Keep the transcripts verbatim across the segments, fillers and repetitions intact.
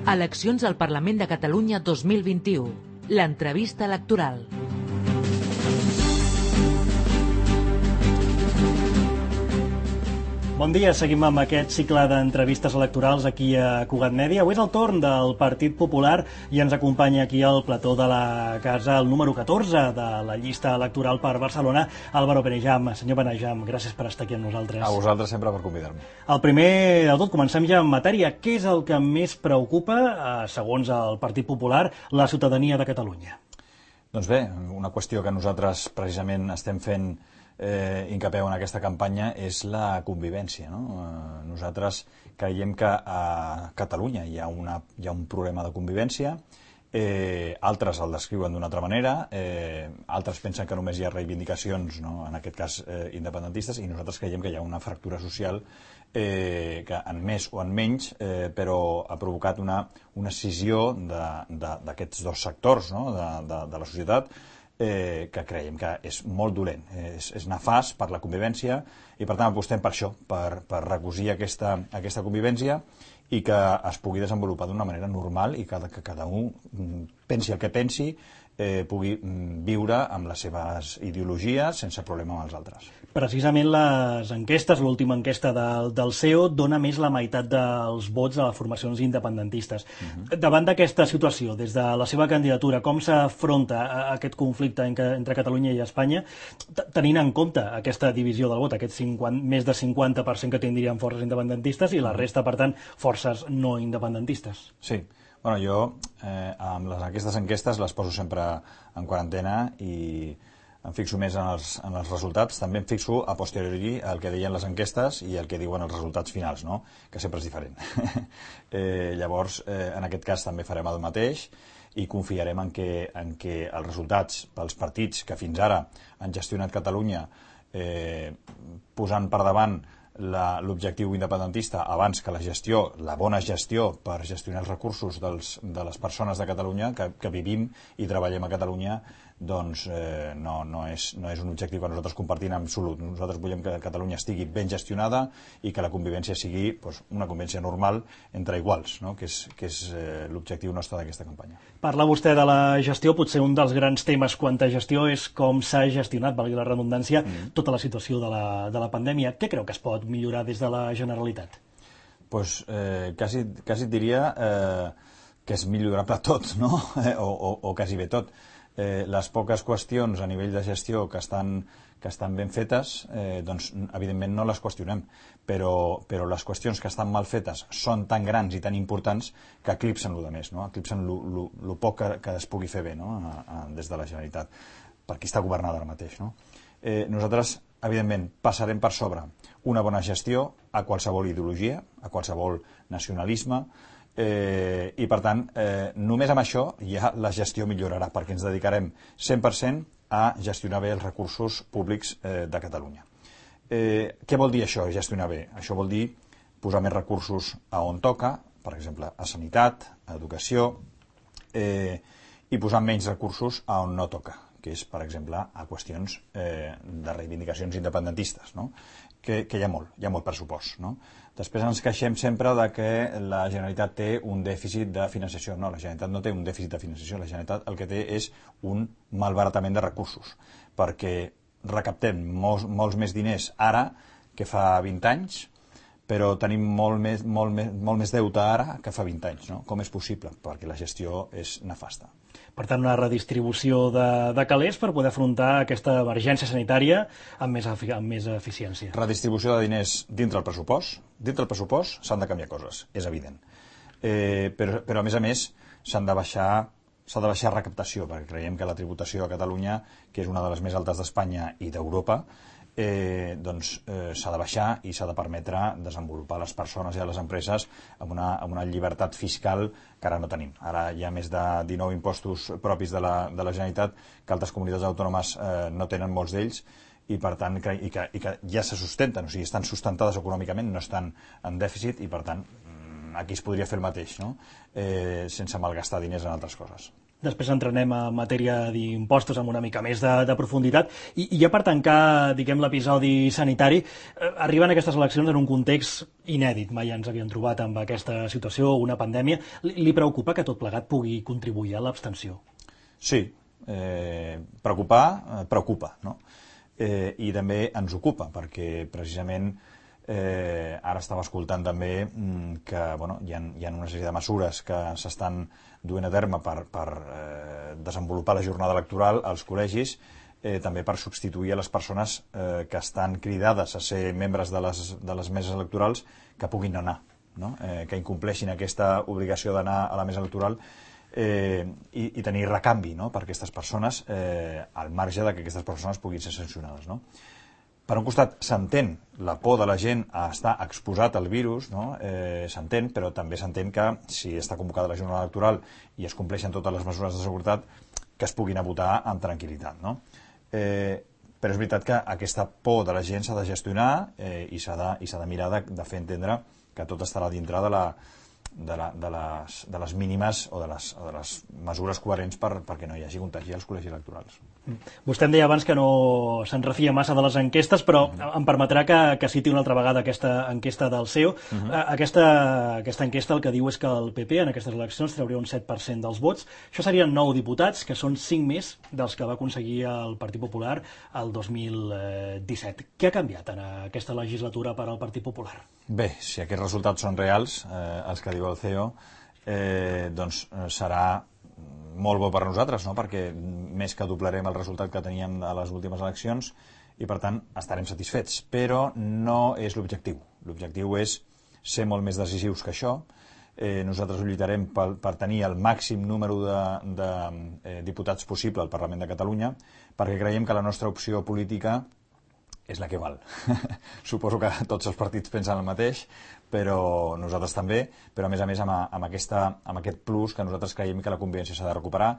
Eleccions al Parlament de Catalunya dos mil vint-i-u. L'entrevista electoral. Bon dia, seguim amb aquest cicle d'entrevistes electorals aquí a Cugat Mèdia. Avui és el torn del Partit Popular i ens acompanya aquí al plató de la casa el número catorze de la llista electoral per Barcelona, Álvaro Benejam. Senyor Benejam, gràcies per estar aquí amb nosaltres. A vosaltres sempre per convidar-me. El primer de tot, comencem ja en matèria. Què és el que més preocupa, segons el Partit Popular, la ciutadania de Catalunya? Doncs bé, una qüestió que nosaltres precisament estem fent Eh, incapeu en aquesta campanya és la convivència, no? Eh, nosaltres creiem que a Catalunya hi ha, una, hi ha un problema de convivència, eh, altres el descriuen d'una altra manera, eh, altres pensen que només hi ha reivindicacions, no? En aquest cas eh, independentistes, i nosaltres creiem que hi ha una fractura social eh, que en més o en menys, eh, però ha provocat una, una escissió d'aquests dos sectors, no? de, de, de la societat, Eh, que creiem que és molt dolent, és, és nefast per la convivència i per tant apostem per això, per, per recosir aquesta, aquesta convivència i que es pugui desenvolupar d'una manera normal i que, que cada un pensi el que pensi, eh, pugui viure amb les seves ideologies sense problema amb els altres. Precisament les enquestes, l'última enquesta del, del C E O, dona més la meitat dels vots a les formacions independentistes. Uh-huh. Davant d'aquesta situació, des de la seva candidatura, com s'afronta aquest conflicte entre Catalunya i Espanya, tenint en compte aquesta divisió del vot, aquest cinquanta, més de cinquanta per cent que tindrien forces independentistes i la resta, per tant, forces no independentistes? Sí. Bueno, jo eh, amb les, aquestes enquestes les poso sempre en quarantena i em fixo més en els, en els resultats. També em fixo a posteriori el que deien les enquestes i el que diuen els resultats finals, no? Que sempre és diferent. eh, llavors, eh, en aquest cas també farem el mateix i confiarem en que, en que els resultats pels partits que fins ara han gestionat Catalunya eh, posant per davant l'objectiu independentista abans que la gestió, la bona gestió per gestionar els recursos dels, de les persones de Catalunya que, que vivim i treballem a Catalunya, doncs eh, no, no, és, no és un objectiu que nosaltres compartim en absolut. Nosaltres volem que Catalunya estigui ben gestionada i que la convivència sigui doncs, una convivència normal entre iguals, no? que és, que és eh, l'objectiu nostre d'aquesta campanya. Parla vostè de la gestió, potser un dels grans temes quant a gestió és com s'ha gestionat, valgui la redundància, mm. tota la situació de la, de la pandèmia. Què creu que es pot millorar des de la Generalitat? Pues, eh, quasi, quasi diria eh, que és millorable tot, no? o, o, o quasi bé tot. Eh, les poques qüestions a nivell de gestió que estan, que estan ben fetes, eh, doncs evidentment no les qüestionem, però, però les qüestions que estan mal fetes són tan grans i tan importants que eclipsen el més, no? Eclipsen el poc que, que es pugui fer bé, no? a, a, des de la Generalitat, per qui està governada ara mateix. No? Eh, nosaltres, evidentment, passarem per sobre una bona gestió a qualsevol ideologia, a qualsevol nacionalisme, Eh, i per tant, eh, només amb això ja la gestió millorarà, perquè ens dedicarem cent per cent a gestionar bé els recursos públics eh, de Catalunya. Eh, què vol dir això, gestionar bé? Això vol dir posar més recursos a on toca, per exemple, a sanitat, a educació, eh, i posar menys recursos a on no toca, que és, per exemple, a qüestions eh, de reivindicacions independentistes, no? que, que hi ha molt, hi ha molt pressupost, no? Després ens queixem sempre de que la Generalitat té un dèficit de financiació. No, la Generalitat no té un dèficit de financiació. La Generalitat el que té és un malbaratament de recursos, perquè recaptem molts, molts més diners ara que fa vint anys, però tenim molt més, molt més, molt més deute ara que fa vint anys. No? Com és possible? Perquè la gestió és nefasta. Per tant, una redistribució de, de calés per poder afrontar aquesta emergència sanitària amb més, amb més eficiència. Redistribució de diners dintre el pressupost. Dintre el pressupost s'han de canviar coses, és evident. Eh, però, però, a més a més, s'han de baixar s'ha de baixar recaptació, perquè creiem que la tributació a Catalunya, que és una de les més altes d'Espanya i d'Europa, Eh, doncs eh, s'ha de baixar i s'ha de permetre desenvolupar les persones i les empreses amb una, amb una llibertat fiscal que ara no tenim. Ara hi ha més de dinou impostos propis de la, de la Generalitat que altres comunitats autònomes eh, no tenen molts d'ells i per tant i que, i que ja se sustenten, o sigui, estan sustentades econòmicament, no estan en dèficit i per tant aquí es podria fer el mateix, no? eh, sense malgastar diners en altres coses. Després entrenem a matèria d'impostos amb una mica més de, de profunditat. I, I ja per tancar, diguem, l'episodi sanitari, eh, arriben aquestes eleccions en un context inèdit. Mai ens havíem trobat amb aquesta situació, una pandèmia. Li, li preocupa que tot plegat pugui contribuir a l'abstenció? Sí, eh, preocupar, eh, preocupa, no? Eh, I també ens ocupa, perquè precisament eh, ara estava escoltant també mm, que bueno, hi ha, hi ha una sèrie de mesures que s'estan duent a terme per, per eh, desenvolupar la jornada electoral als col·legis, eh, també per substituir a les persones eh, que estan cridades a ser membres de les, de les meses electorals que puguin anar, no? eh, que incompleixin aquesta obligació d'anar a la mesa electoral eh, i, i tenir recanvi, no? per aquestes persones eh, al marge de que aquestes persones puguin ser sancionades, no? Per un costat, s'entén la por de la gent a estar exposat al virus, no? eh, s'entén, però també s'entén que si està convocada la jornada electoral i es compleixen totes les mesures de seguretat, que es puguin a votar amb tranquil·litat, no? Eh, però és veritat que aquesta por de la gent s'ha de gestionar eh, i s'ha de, i s'ha de mirar de, de fer entendre que tot estarà dintre de la de, la, de, les, de les mínimes o de les, o de les mesures coherents per, perquè no hi hagi contagi als col·legis electorals. Vostè em deia abans que no se'n refia massa de les enquestes, però uh-huh. em permetrà que, que citi una altra vegada aquesta enquesta del C E O. Uh-huh. Aquesta, aquesta enquesta el que diu és que el P P en aquestes eleccions trauria un set per cent dels vots. Això serien nou diputats, que són cinc més dels que va aconseguir el Partit Popular el dos mil disset. Què ha canviat en aquesta legislatura per al Partit Popular? Bé, si aquests resultats són reals, eh, els que diu el C E O, eh, doncs serà molt bo per a nosaltres, no? Perquè més que doblarem el resultat que teníem a les últimes eleccions i, per tant, estarem satisfets. Però no és l'objectiu. L'objectiu és ser molt més decisius que això. Eh, nosaltres lluitarem per, per tenir el màxim número de, de eh, diputats possible al Parlament de Catalunya, perquè creiem que la nostra opció política és la que val. Suposo que tots els partits pensen el mateix, però nosaltres també, però a més a més amb, amb, aquesta, amb aquest plus que nosaltres creiem que la convivència s'ha de recuperar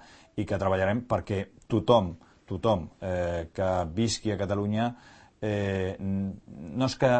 i que treballarem perquè tothom, tothom eh, que visqui a Catalunya eh, no és que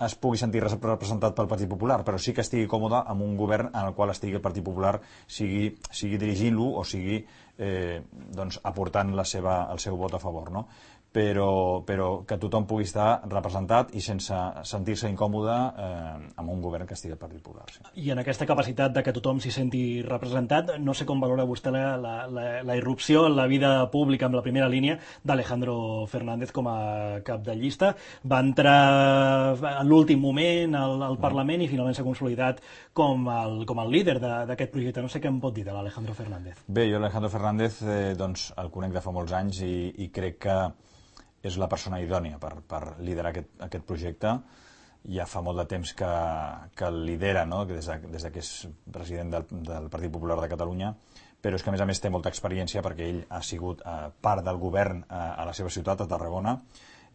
es pugui sentir representat pel Partit Popular, però sí que estigui còmode amb un govern en el qual estigui el Partit Popular, sigui, sigui dirigint-lo o sigui eh, doncs, aportant la seva, el seu vot a favor, no? Però, però que tothom pugui estar representat i sense sentir-se incòmode eh, amb un govern que estigui al Partit Popular. Sí. I en aquesta capacitat de que tothom s'hi senti representat, no sé com valora vostè la, la, la, la irrupció en la vida pública amb la primera línia d'Alejandro Fernández com a cap de llista. Va entrar en l'últim moment al, al Parlament i finalment s'ha consolidat com el, com el líder d'aquest projecte. No sé què em pot dir de l'Alejandro Fernández. Bé, jo l'Alejandro Fernández eh, doncs, el conec de fa molts anys i, i crec que és la persona idònia per, per liderar aquest, aquest projecte. Ja fa molt de temps que, que el lidera, no? des, de, des de que és president del, del Partit Popular de Catalunya, però és que a més a més té molta experiència perquè ell ha sigut eh, part del govern eh, a la seva ciutat, a Tarragona,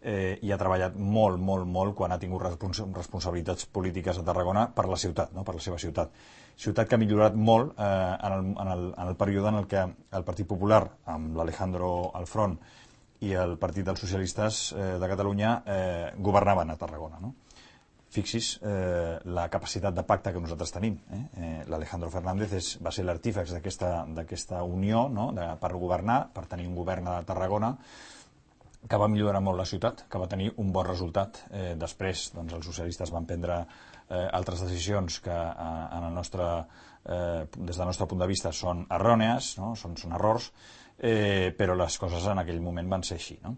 eh, i ha treballat molt, molt, molt quan ha tingut respons responsabilitats polítiques a Tarragona per la ciutat, no? per la seva ciutat. Ciutat que ha millorat molt eh, en, el, en, el, en el període en el que el Partit Popular, amb l'Alejandro al front, i el Partit dels Socialistes eh, de Catalunya eh, governaven a Tarragona, no? Fixis eh, la capacitat de pacte que nosaltres tenim. Eh? Eh, L'Alejandro Fernández és, va ser l'artífex d'aquesta unió, no? de, per governar, per tenir un govern a Tarragona que va millorar molt la ciutat, que va tenir un bon resultat. Eh, després doncs, els socialistes van prendre eh, altres decisions que eh, en el nostre, eh, des del nostre punt de vista són errònies, no? són, són errors, Eh, però les coses en aquell moment van ser així, no?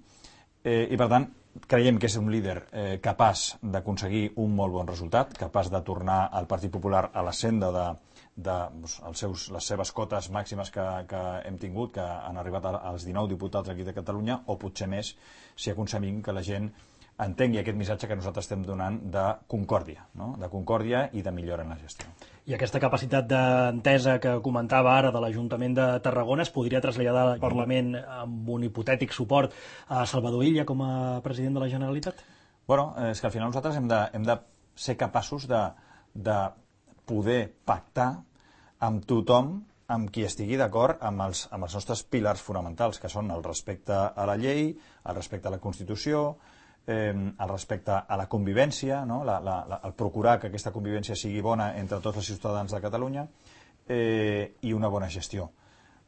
Eh, I per tant creiem que és un líder eh, capaç d'aconseguir un molt bon resultat, capaç de tornar al Partit Popular a la senda de, de doncs, els seus, les seves cotes màximes que, que hem tingut, que han arribat als dinou diputats aquí de Catalunya, o potser més si aconseguim que la gent entengui aquest missatge que nosaltres estem donant de concòrdia, no? de concòrdia i de millora en la gestió. I aquesta capacitat d'entesa que comentava ara de l'Ajuntament de Tarragona es podria traslladar al Parlament amb un hipotètic suport a Salvador Illa com a president de la Generalitat? Bueno, és que al final nosaltres hem de, hem de ser capaços de, de poder pactar amb tothom amb qui estigui d'acord amb, els, amb els nostres pilars fonamentals, que són el respecte a la llei, el respecte a la Constitució, Eh, el respecte a la convivència, no? la, la, la, el procurar que aquesta convivència sigui bona entre tots els ciutadans de Catalunya eh, i una bona gestió.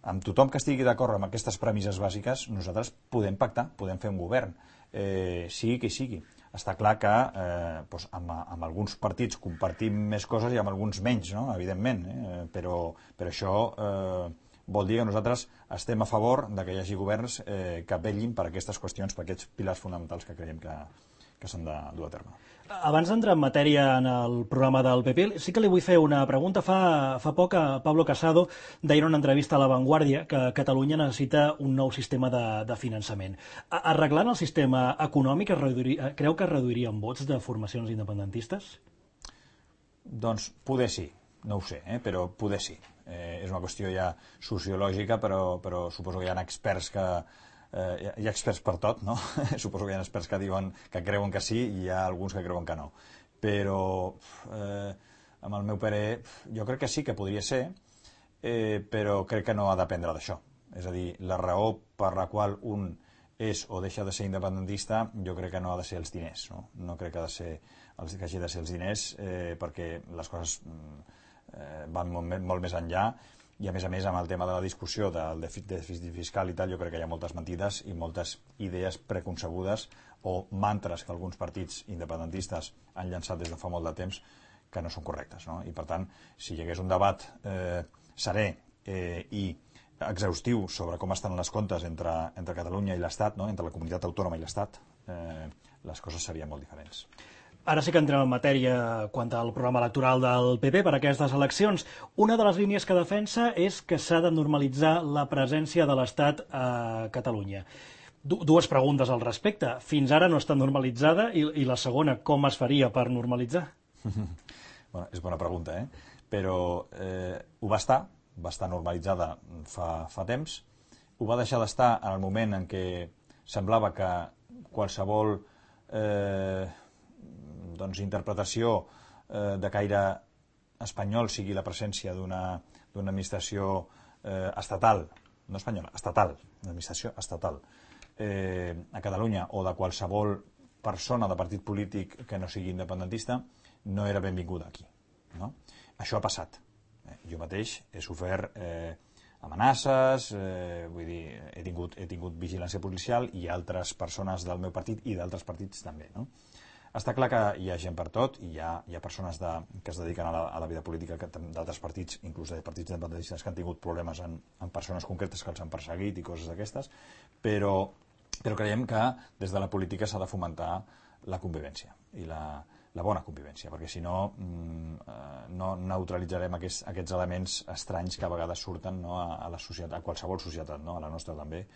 amb tothom que estigui d'acord amb aquestes premisses bàsiques, nosaltres podem pactar, podem fer un govern, eh, sigui que sigui. Està clar que eh, doncs amb, amb alguns partits compartim més coses i amb alguns menys, no? Evidentment, eh? però, però això eh, vol dir que nosaltres estem a favor de que hi hagi governs eh, que vetllin per aquestes qüestions, per aquests pilars fonamentals que creiem que, que s'han de dur a terme. Abans d'entrar en matèria en el programa del P P, sí que li vull fer una pregunta. Fa, fa poc a Pablo Casado deia en una entrevista a La Vanguardia que Catalunya necessita un nou sistema de, de finançament. Arreglant el sistema econòmic, es reduiria, creu que es reduirien vots de formacions independentistes? Doncs poder sí, no ho sé, eh? però poder sí. Eh, és una qüestió ja sociològica, però, però suposo que hi ha experts que Eh, hi ha experts per tot, no? Suposo que hi ha experts que diuen que creuen que sí i hi ha alguns que creuen que no. Però, eh, amb el meu parer, jo crec que sí que podria ser, eh, però crec que no ha de dependre d'això. És a dir, la raó per la qual un és o deixa de ser independentista, jo crec que no ha de ser els diners, no? No crec que, ha de ser, que hagi de ser els diners, eh, perquè les coses eh, van molt, molt més enllà. I a més a més amb el tema de la discussió del dèficit fiscal i tal, jo crec que hi ha moltes mentides i moltes idees preconcebudes o mantres que alguns partits independentistes han llançat des de fa molt de temps que no són correctes, no? I per tant, si hi hagués un debat eh, serè eh, i exhaustiu sobre com estan les comptes entre, entre Catalunya i l'Estat, no? Entre la comunitat autònoma i l'Estat, eh, les coses serien molt diferents. Ara sí que entrem en matèria quant al programa electoral del P P per aquestes eleccions. Una de les línies que defensa és que s'ha de normalitzar la presència de l'Estat a Catalunya. Du dues preguntes al respecte. Fins ara no està normalitzada i, i la segona, com es faria per normalitzar? Bueno, és bona pregunta, eh? Però eh, ho va estar, va estar normalitzada fa, fa temps. Ho va deixar d'estar en el moment en què semblava que qualsevol eh, doncs, interpretació eh, de caire espanyol sigui la presència d'una d'una administració eh, estatal, no espanyola, estatal, una administració estatal eh, a Catalunya o de qualsevol persona de partit polític que no sigui independentista no era benvinguda aquí, no? Això ha passat. Eh, jo mateix he sofert eh, amenaces, eh, vull dir, he tingut, he tingut vigilància policial i altres persones del meu partit i d'altres partits també, no? Està clar que hi ha gent per tot i hi ha, hi ha persones de, que es dediquen a la, a la vida política d'altres partits, inclús de partits independentistes que han tingut problemes en, en persones concretes que els han perseguit i coses d'aquestes, però, però creiem que des de la política s'ha de fomentar la convivència i la, la bona convivència, perquè si no no neutralitzarem aquests, aquests elements estranys que a vegades surten, no, a, a la societat, a qualsevol societat, no, a la nostra també.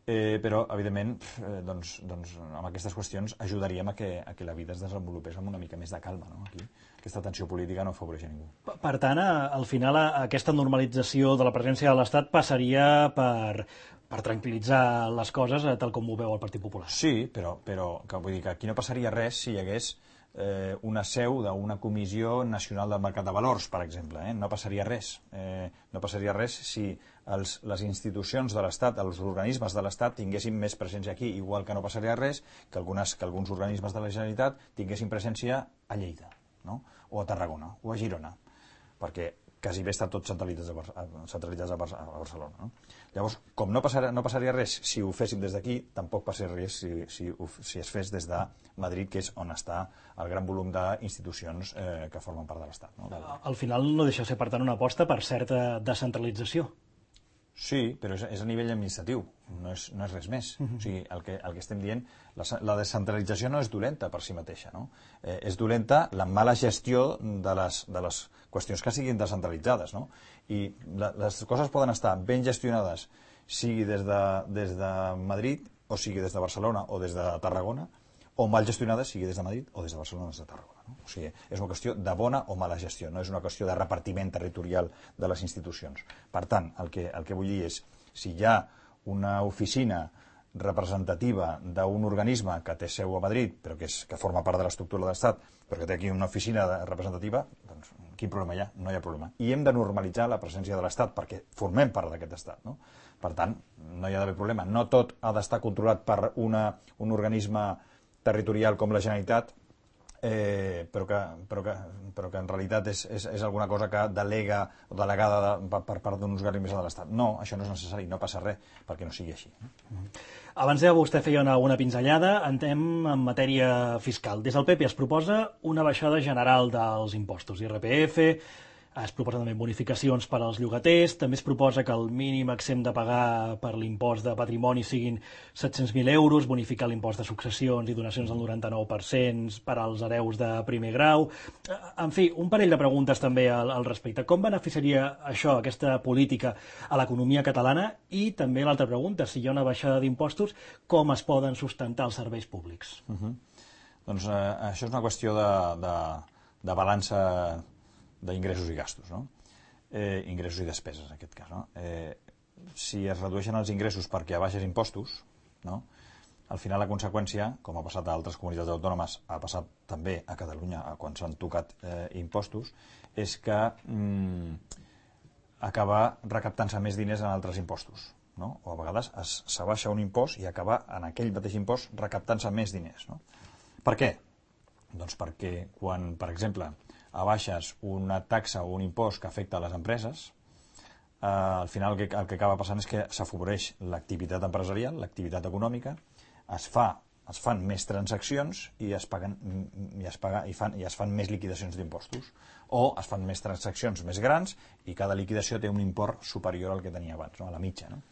Eh, però, evidentment, eh, doncs, doncs, amb aquestes qüestions ajudaríem a que, a que la vida es desenvolupés amb una mica més de calma, no? Aquí aquesta tensió política no afavoreix a ningú. Per tant, al final, aquesta normalització de la presència de l'Estat passaria per, per tranquil·litzar les coses, tal com ho veu el Partit Popular. Sí, però, però que, vull dir que aquí no passaria res si hi hagués eh, una seu d'una comissió nacional del mercat de valors, per exemple. Eh? No passaria res. Eh, no passaria res si els, les institucions de l'Estat, els organismes de l'Estat tinguessin més presència aquí, igual que no passaria res que, algunes, que alguns organismes de la Generalitat tinguessin presència a Lleida, no? O a Tarragona, o a Girona, perquè quasi bé està tot centralitzat a, Bar centralitzat a, Bar a Barcelona, no? Llavors, com no passaria, no passaria res si ho féssim des d'aquí, tampoc passaria res si, si, si es fes des de Madrid, que és on està el gran volum d'institucions eh, que formen part de l'Estat, no? Al final no deixa de ser, per tant, una aposta per certa descentralització. Sí, però és, és a nivell administratiu, no és, no és res més. Uh -huh. O sigui, el que, el que estem dient, la, la descentralització no és dolenta per si mateixa, no? Eh, és dolenta la mala gestió de les, de les qüestions que siguin descentralitzades, no? I la, les coses poden estar ben gestionades, sigui des de, des de Madrid, o sigui des de Barcelona, o des de Tarragona, o mal gestionades, sigui des de Madrid, o des de Barcelona o des de Tarragona, no? O sigui, és una qüestió de bona o mala gestió, no és una qüestió de repartiment territorial de les institucions. Per tant, el que, el que vull dir és, si hi ha una oficina representativa d'un organisme que té seu a Madrid, però que, és, que forma part de l'estructura de l'Estat, però que té aquí una oficina representativa, doncs quin problema hi ha? No hi ha problema. I hem de normalitzar la presència de l'Estat perquè formem part d'aquest Estat, no? Per tant, no hi ha d'haver problema. No tot ha d'estar controlat per una, un organisme territorial com la Generalitat Eh, però, que, però, que, però que en realitat és, és, és alguna cosa que delega o delegada de, per, per part d'un usuari més de l'Estat. No, això no és necessari, no passa res perquè no sigui així. Abans de vostè feia una, una pinzellada, entrem en matèria fiscal. Des del P P es proposa una baixada general dels impostos, I R P F, es proposen també bonificacions per als llogaters, també es proposa que el mínim exempt de pagar per l'impost de patrimoni siguin set-cents mil euros, bonificar l'impost de successions i donacions del noranta-nou per cent per als hereus de primer grau. En fi, un parell de preguntes també al, al respecte. Com beneficiaria això, aquesta política, a l'economia catalana? I també l'altra pregunta, si hi ha una baixada d'impostos, com es poden sustentar els serveis públics? Uh-huh. Doncs eh, això és una qüestió de, de, de balança d'ingressos i gastos, no? Eh, ingressos i despeses, en aquest cas, no? Eh, si es redueixen els ingressos perquè abaixes impostos, no? Al final la conseqüència, com ha passat a altres comunitats autònomes, ha passat també a Catalunya quan s'han tocat eh, impostos, és que mm, acaba recaptant-se més diners en altres impostos, no? O a vegades s'abaixa un impost i acaba en aquell mateix impost recaptant-se més diners, no? Per què? Doncs perquè quan, per exemple, abaixes una taxa o un impost que afecta a les empreses, eh, al final el que, el que acaba passant és que s'afavoreix l'activitat empresarial, l'activitat econòmica, es, fa, es fan més transaccions i es, paguen, i, es paga, i, fan, i es fan més liquidacions d'impostos, o es fan més transaccions més grans i cada liquidació té un import superior al que tenia abans, no? A la mitja. No?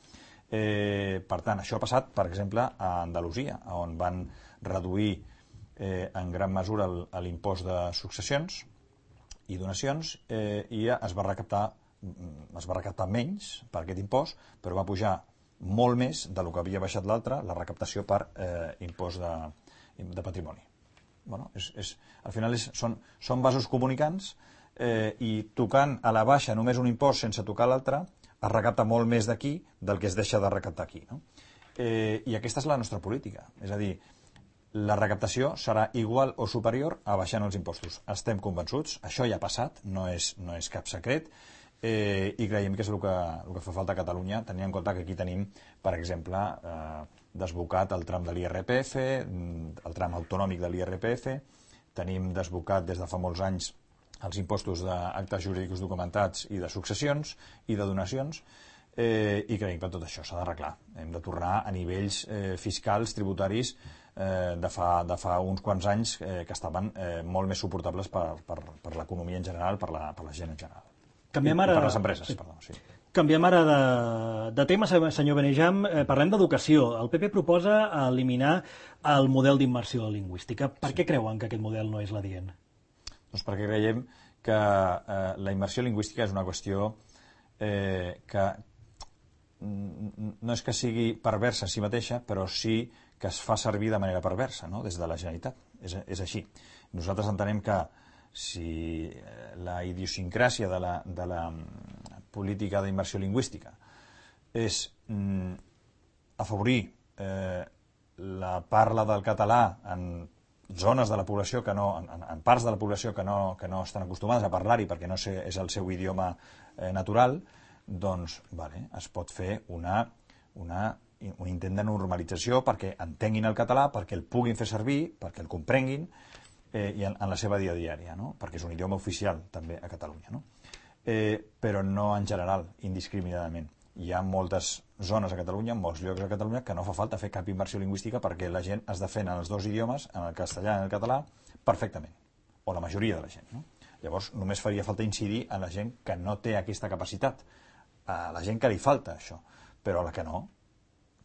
Eh, per tant, això ha passat, per exemple, a Andalusia, on van reduir eh, en gran mesura l'impost de successions i donacions, eh, i es va recaptar es va recaptar menys per aquest impost, però va pujar molt més del que havia baixat l'altre, la recaptació per eh, impost de, de patrimoni. Bueno, és, és, al final és, són, són vasos comunicants eh, i tocant a la baixa només un impost sense tocar l'altre, es recapta molt més d'aquí del que es deixa de recaptar aquí. No? Eh, I aquesta és la nostra política, és a dir, la recaptació serà igual o superior a baixant els impostos. Estem convençuts, això ja ha passat, no és, no és cap secret, eh, i creiem que és el que, el que fa falta a Catalunya, tenint en compte que aquí tenim, per exemple, eh, desbocat el tram de l'I R P F, el tram autonòmic de l'I R P F, tenim desbocat des de fa molts anys els impostos d'actes jurídics documentats i de successions i de donacions, eh, i creiem que tot això s'ha d'arreglar. Hem de tornar a nivells eh, fiscals, tributaris, eh, de, fa, de fa uns quants anys eh, que estaven eh, molt més suportables per, per, per l'economia en general, per la, per la gent en general. Canviem I, ara... I per les empreses, sí. Perdó, sí. Canviem ara de, de tema, senyor Benejam. Eh, parlem d'educació. El P P proposa eliminar el model d'immersió lingüística. Per sí. què creuen que aquest model no és l'adient? Doncs perquè creiem que eh, la immersió lingüística és una qüestió eh, que no és que sigui perversa en si mateixa, però sí que es fa servir de manera perversa, no? Des de la Generalitat. És, és així. Nosaltres entenem que si la idiosincràsia de la, de la política d'immersió lingüística és mm, afavorir eh, la parla del català en zones de la població que no, en, en parts de la població que no, que no estan acostumades a parlar-hi perquè no sé, és el seu idioma eh, natural, doncs vale, es pot fer una, una, un intent de normalització perquè entenguin el català, perquè el puguin fer servir, perquè el comprenguin eh, i en, en la seva dia a diària, no? Perquè és un idioma oficial també a Catalunya, no? Eh, però no en general, indiscriminadament. Hi ha moltes zones a Catalunya, molts llocs a Catalunya, que no fa falta fer cap immersió lingüística perquè la gent es defèn en els dos idiomes, en el castellà i en el català, perfectament, o la majoria de la gent, no? Llavors només faria falta incidir en la gent que no té aquesta capacitat, a la gent que li falta això, però a la que no,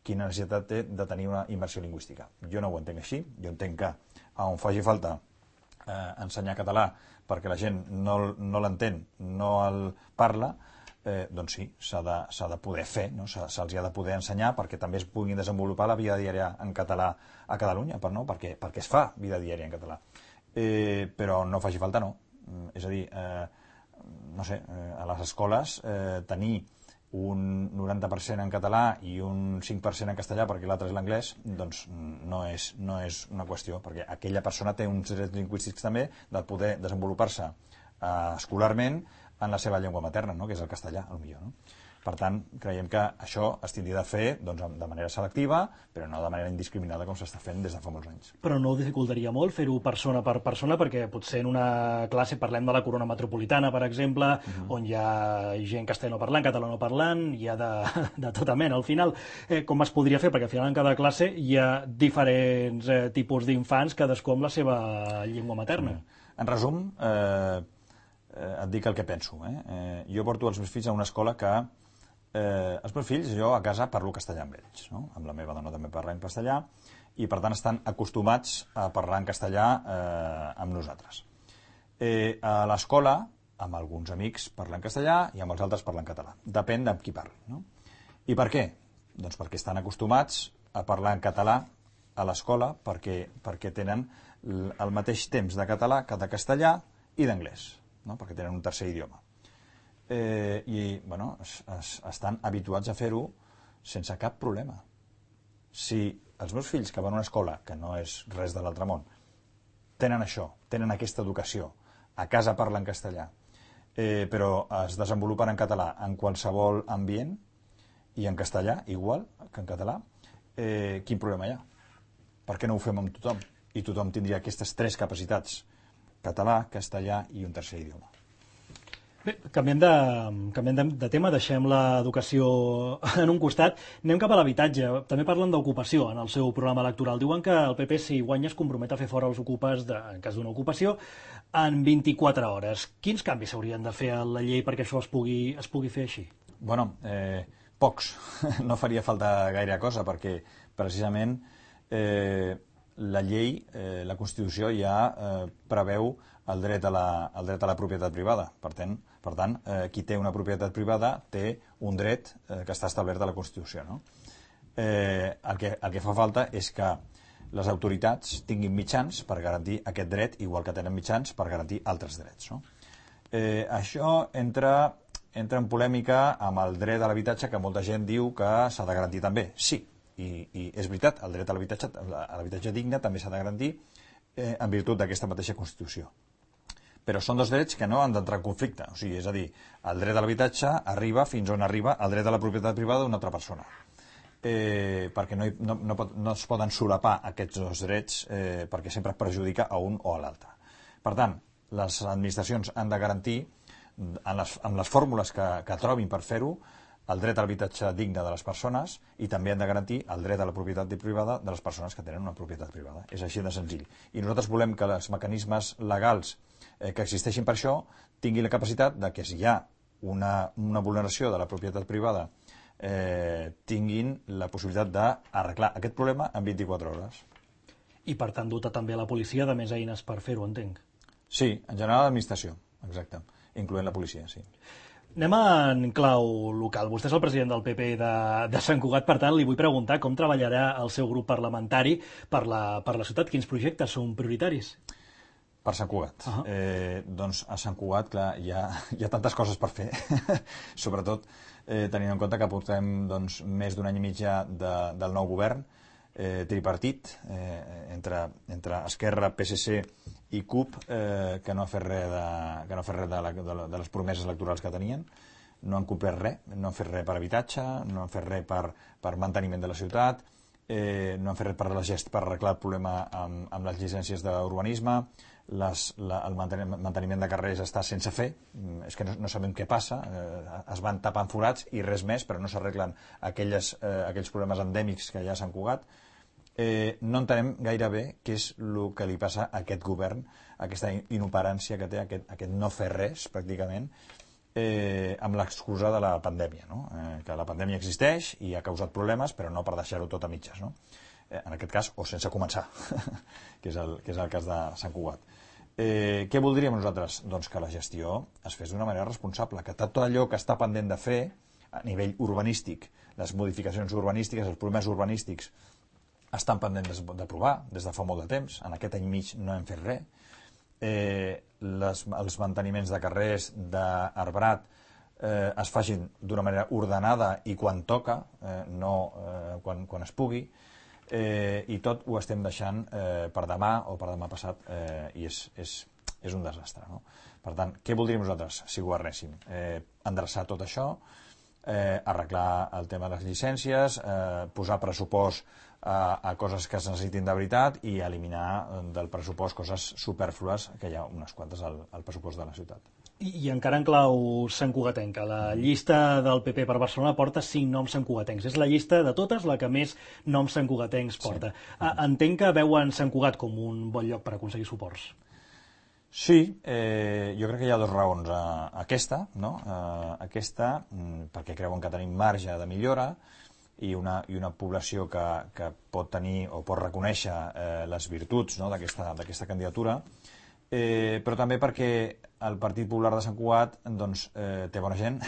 quina necessitat té de tenir una immersió lingüística? Jo no ho entenc així, jo entenc que on faci falta eh, ensenyar català perquè la gent no, no l'entén, no el parla, eh, doncs sí, s'ha de, s'ha de poder fer, no? Se'ls ha de poder ensenyar perquè també es puguin desenvolupar la vida diària en català a Catalunya, per, no? perquè, perquè es fa vida diària en català. Eh, però no faci falta, no. És a dir, eh, no sé, eh, a les escoles eh, tenir un noranta per cent en català i un cinc per cent en castellà perquè l'altre és l'anglès, doncs no és, no és una qüestió, perquè aquella persona té uns drets lingüístics també de poder desenvolupar-se eh, escolarment en la seva llengua materna, no? Que és el castellà, al millor. No? Per tant, creiem que això es tindria de fer doncs, de manera selectiva, però no de manera indiscriminada com s'està fent des de fa molts anys. Però no ho dificultaria molt fer-ho persona per persona, perquè potser en una classe parlem de la corona metropolitana, per exemple, uh-huh. on hi ha gent castellanoparlant, catalanoparlant, hi ha de, de tota mena. Al final, eh, com es podria fer? Perquè al final en cada classe hi ha diferents eh, tipus d'infants, cadascú amb la seva llengua materna. Uh-huh. En resum, eh, eh, et dic el que penso. Eh? Eh, jo porto els meus fills a una escola que Eh, els meus fills, jo a casa parlo castellà amb ells, no? Amb la meva dona també parlo en castellà, i per tant estan acostumats a parlar en castellà eh, amb nosaltres. Eh, a l'escola, amb alguns amics parlen castellà i amb els altres parlen català. Depèn de qui parli. No? I per què? Doncs perquè estan acostumats a parlar en català a l'escola, perquè, perquè tenen el mateix temps de català que de castellà i d'anglès, no? Perquè tenen un tercer idioma. Eh, i bueno, es, es, estan habituats a fer-ho sense cap problema. Si els meus fills que van a una escola, que no és res de l'altre món, tenen això, tenen aquesta educació, a casa parlen castellà, eh, però es desenvolupen en català en qualsevol ambient i en castellà, igual que en català, eh, quin problema hi ha? Per què no ho fem amb tothom? I tothom tindria aquestes tres capacitats, català, castellà i un tercer idioma. Bé, canviem, de, canviem de, de tema, deixem l'educació en un costat, anem cap a l'habitatge. També parlen d'ocupació en el seu programa electoral. Diuen que el P P, si guanya, es compromet a fer fora els ocupes, de, en cas d'una ocupació, en vint-i-quatre hores. Quins canvis s'haurien de fer a la llei perquè això es pugui, es pugui fer així? Bueno, eh, pocs. No faria falta gaire cosa, perquè precisament eh, la llei, eh, la Constitució ja eh, preveu el dret a la, el dret a la propietat privada. Per tant, per tant eh, qui té una propietat privada té un dret eh, que està establert a la Constitució. No? Eh, el, que, el que fa falta és que les autoritats tinguin mitjans per garantir aquest dret, igual que tenen mitjans per garantir altres drets. No? Eh, això entra, entra en polèmica amb el dret a l'habitatge, que molta gent diu que s'ha de garantir també. Sí, i, i és veritat, el dret a l'habitatge, a l'habitatge digne també s'ha de garantir eh, en virtut d'aquesta mateixa Constitució. Però són dos drets que no han d'entrar en conflicte. O sigui, és a dir, el dret a l'habitatge arriba fins on arriba el dret a la propietat privada d'una altra persona. Eh, perquè no, hi, no, no, pot, no es poden solapar aquests dos drets eh, perquè sempre perjudica a un o a l'altre. Per tant, les administracions han de garantir, en les, en les fórmules que, que trobin per fer-ho, el dret a l'habitatge digne de les persones i també han de garantir el dret a la propietat privada de les persones que tenen una propietat privada. És així de senzill. I nosaltres volem que els mecanismes legals eh, que existeixin per això tinguin la capacitat de que si hi ha una, una vulneració de la propietat privada eh, tinguin la possibilitat d'arreglar aquest problema en vint-i-quatre hores. I per tant dotar també la policia de més eines per fer-ho, entenc. Sí, en general l'administració, exacte, incloent la policia, sí. Anem en clau local. Vostè és el president del P P de, de Sant Cugat, per tant, li vull preguntar com treballarà el seu grup parlamentari per la, per la ciutat. Quins projectes són prioritaris? Per Sant Cugat. Uh -huh. eh, doncs a Sant Cugat, clar, hi ha, hi ha tantes coses per fer, sobretot eh, tenint en compte que portem doncs, més d'un any i mig ja de, del nou govern, eh, tripartit, eh, entre, entre Esquerra, P S C i C U P, eh, que no ha fet res, de, que no ha fet res de, la, de, la, de les promeses electorals que tenien, no han complert res, no han fet res per habitatge, no han fet res per, per manteniment de la ciutat, eh, no han fet res per, la gest, per arreglar el problema amb, amb les llicències d'urbanisme, les, la, el manteniment, manteniment de carrers està sense fer, és que no, no sabem què passa, eh, es van tapant forats i res més, però no s'arreglen aquelles, eh, aquells problemes endèmics que hi ha a Sant Cugat. Eh, no entenem gaire bé què és el que li passa a aquest govern, aquesta inoperància que té, aquest, aquest no fer res, pràcticament, eh, amb l'excusa de la pandèmia, no? eh, que la pandèmia existeix i ha causat problemes, però no per deixar-ho tot a mitges, no? eh, en aquest cas, o sense començar, que, és el, que és el cas de Sant Cugat. Eh, què voldríem nosaltres? Doncs que la gestió es fes d'una manera responsable, que tot allò que està pendent de fer a nivell urbanístic, les modificacions urbanístiques, els problemes urbanístics, estan pendents d'aprovar des de fa molt de temps. En aquest any mig no hem fet res. Eh, les, els manteniments de carrers, d'arbrat, eh, es facin d'una manera ordenada i quan toca, eh, no eh, quan, quan es pugui, eh, i tot ho estem deixant eh, per demà o per demà passat, eh, i és, és, és un desastre. No? Per tant, què voldríem nosaltres si governéssim? Eh, endreçar tot això, eh, arreglar el tema de les llicències, eh, posar pressupost a, a coses que es necessitin de veritat i eliminar del pressupost coses superflues, que hi ha unes quantes al, al pressupost de la ciutat. I, i encara en clau santcugatenca, la llista del P P per Barcelona porta cinc noms santcugatencs. És la llista de totes la que més noms santcugatencs porta. Sí. Entenc que veuen Sant Cugat com un bon lloc per aconseguir suports. Sí, eh, jo crec que hi ha dues raons. Eh, aquesta, no? eh, aquesta perquè creuen que tenim marge de millora i una, i una població que, que pot tenir o pot reconèixer eh, les virtuts, no? d'aquesta d'aquesta candidatura, eh, però també perquè el Partit Popular de Sant Cugat doncs, eh, té bona gent,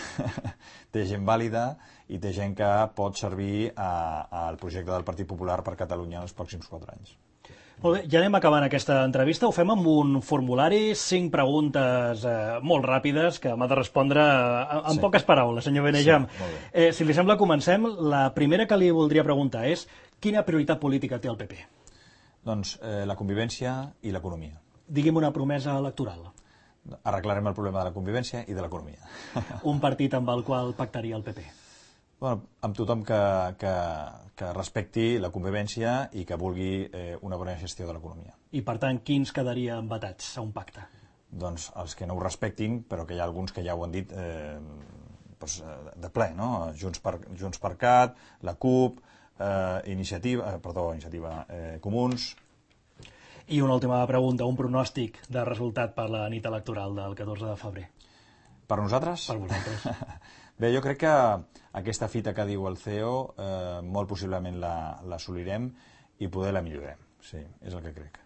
té gent vàlida i té gent que pot servir a, al projecte del Partit Popular per Catalunya en els pròxims quatre anys. Molt bé, ja anem acabant aquesta entrevista. Ho fem amb un formulari, cinc preguntes eh, molt ràpides que m'ha de respondre en sí. poques paraules, senyor Benejam. Sí, eh, si li sembla, comencem. La primera que li voldria preguntar és quina prioritat política té el P P? Doncs eh, la convivència i l'economia. Digui'm una promesa electoral. Arreglarem el problema de la convivència i de l'economia. Un partit amb el qual pactaria el P P? Bueno, amb tothom que, que, que respecti la convivència i que vulgui eh, una bona gestió de l'economia. I, per tant, quins quedarien vetats a un pacte? Doncs els que no ho respectin, però que hi ha alguns que ja ho han dit eh, doncs, de ple, no? Junts per, Junts per Cat, la CUP, eh, Iniciativa, eh, perdó, Iniciativa eh, Comuns. I una última pregunta, un pronòstic de resultat per la nit electoral del catorze de febrer. Per nosaltres? Per vosaltres. Bé, jo crec que aquesta fita que diu el C E O eh, molt possiblement l'assolirem i poder la millorem. Sí, és el que crec.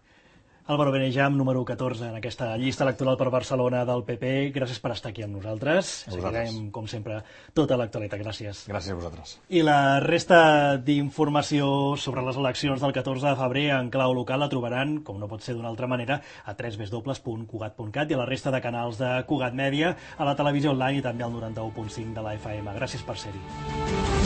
Álvaro Benejam, número catorze en aquesta llista electoral per Barcelona del P P. Gràcies per estar aquí amb nosaltres. Seguirem, com sempre, tota l'actualitat. Gràcies. Gràcies a vosaltres. I la resta d'informació sobre les eleccions del catorze de febrer en clau local la trobaran, com no pot ser d'una altra manera, a w w w punt cugat punt cat i a la resta de canals de Cugat Mèdia, a la televisió online i també al noranta-u punt cinc de la F M. Gràcies per ser-hi.